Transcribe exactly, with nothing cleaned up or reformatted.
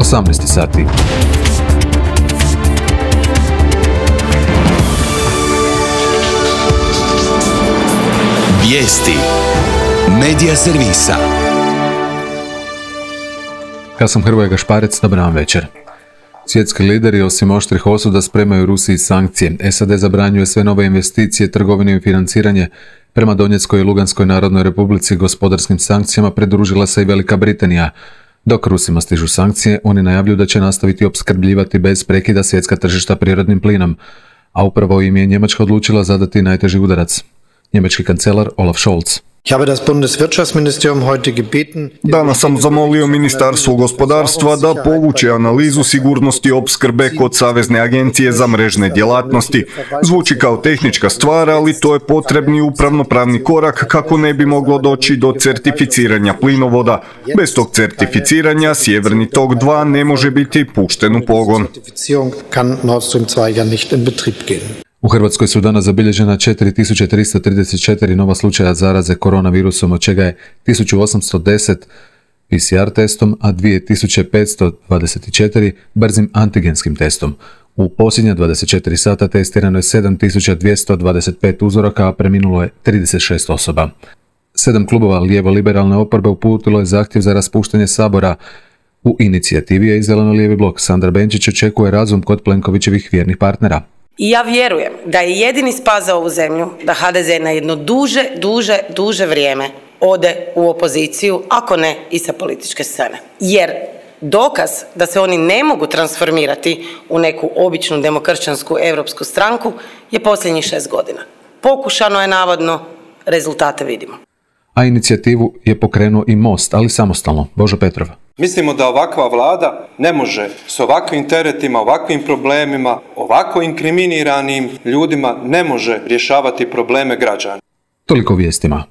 osamnaest sati. Vijesti Medija servisa. Ja sam Hrvoje Gašparec, dobar vam večer. Svjetski lideri osim oštrih osuda spremaju Rusiji sankcije. S A D zabranjuje sve nove investicije, trgovine i financiranje. Prema Donjeckoj i Luganskoj narodnoj republici gospodarskim sankcijama pridružila se i Velika Britanija. Dok Rusima stižu sankcije, oni najavljuju da će nastaviti opskrbljivati bez prekida svjetska tržišta prirodnim plinom. A upravo im je Njemačka odlučila zadati najteži udarac. Njemački kancelar Olaf Scholz. Danas sam zamolio Ministarstvo gospodarstva da povuče analizu sigurnosti opskrbe kod Savezne agencije za mrežne djelatnosti. Zvuči kao tehnička stvar, ali to je potrebni upravno-pravni korak kako ne bi moglo doći do certificiranja plinovoda. Bez tog certificiranja Sjeverni tok dva ne može biti pušten u pogon. U Hrvatskoj su danas zabilježena četiri tisuće tristo trideset četiri nova slučaja zaraze koronavirusom, od čega je tisuću osamsto deset P C R testom, a dvije tisuće petsto dvadeset četiri brzim antigenskim testom. U posljednja dvadeset četiri sata testirano je sedam tisuća dvjesto dvadeset pet uzoraka, a preminulo je trideset šest osoba. Sedam klubova lijevo-liberalne oporbe uputilo je zahtjev za raspuštanje Sabora. U inicijativi je i zeleno-lijevi blok. Sandra Benčić očekuje razum kod Plenkovićevih vjernih partnera. I ja vjerujem da je jedini spas za ovu zemlju da H D Z na jedno duže, duže, duže vrijeme ode u opoziciju, ako ne i sa političke scene. Jer dokaz da se oni ne mogu transformirati u neku običnu demokršćansku europsku stranku je posljednjih šest godina. Pokušano je navodno, rezultate vidimo. A inicijativu je pokrenuo i Most, ali samostalno. Božo Petrov. Mislimo da ovakva vlada ne može s ovakvim teretima, ovakvim problemima, ovako inkriminiranim ljudima ne može rješavati probleme građana. Toliko vijestima.